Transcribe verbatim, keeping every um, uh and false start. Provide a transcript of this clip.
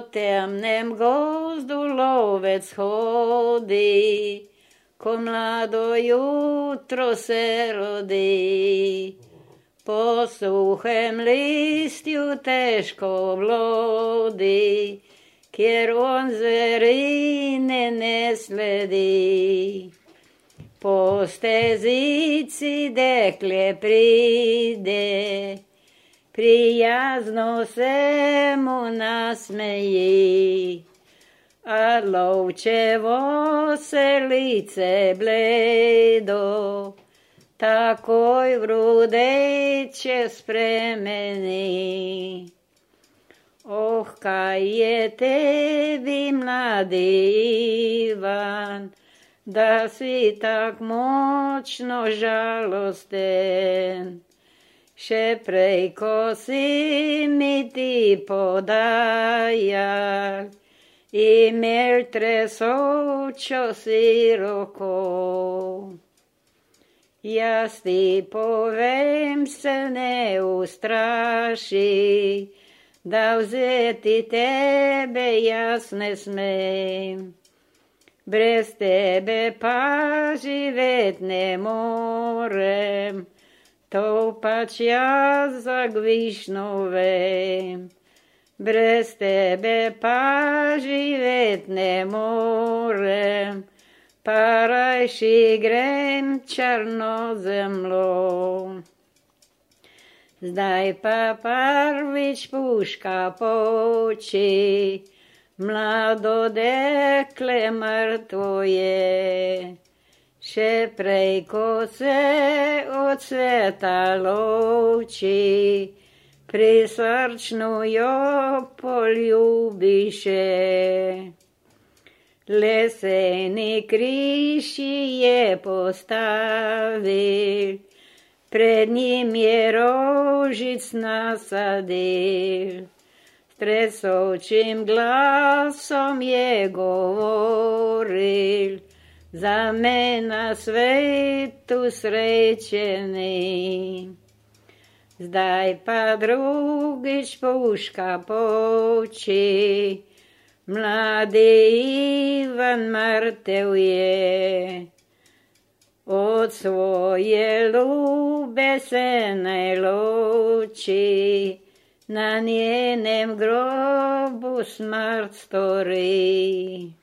po temnem gozdu lovec hodí, ko mlado jutro se rodí. Po suchém listiu težko vlodí, kjer on zverine nesledí. Po stezici dekle pride, prijazno se mu nasmeji, a lovčevo se lice bledo, takoj v rudeče spremeni. Oh, kaj je tebi, mladi Ivan, da si tak močno žalosten. Še prej, ko si mi ti podajal, imel tresočo si roko. Jaz ti povem, se ne ustraši, da vzeti tebe jaz ne smem. Brez tebe pa živet ne morem, to pač jaz zagvišno vem. Brez tebe pa živet ne morem, pa rajši grem črno zemlo. Zdaj pa prvič puška poči, mlado dekle mrtvo je. Še prej, ko se od sveta loči, prisrčno jo poljubiše. Leseni križ je postavil, pred njim je rožic nasadil. S tresočim glasom je govoril, za me na svetu srečeni. Zdaj pa drugič puška poči, mladi Ivan mrtev je. Od svoje ljube se ne loči, na njenem grobu smrt stori.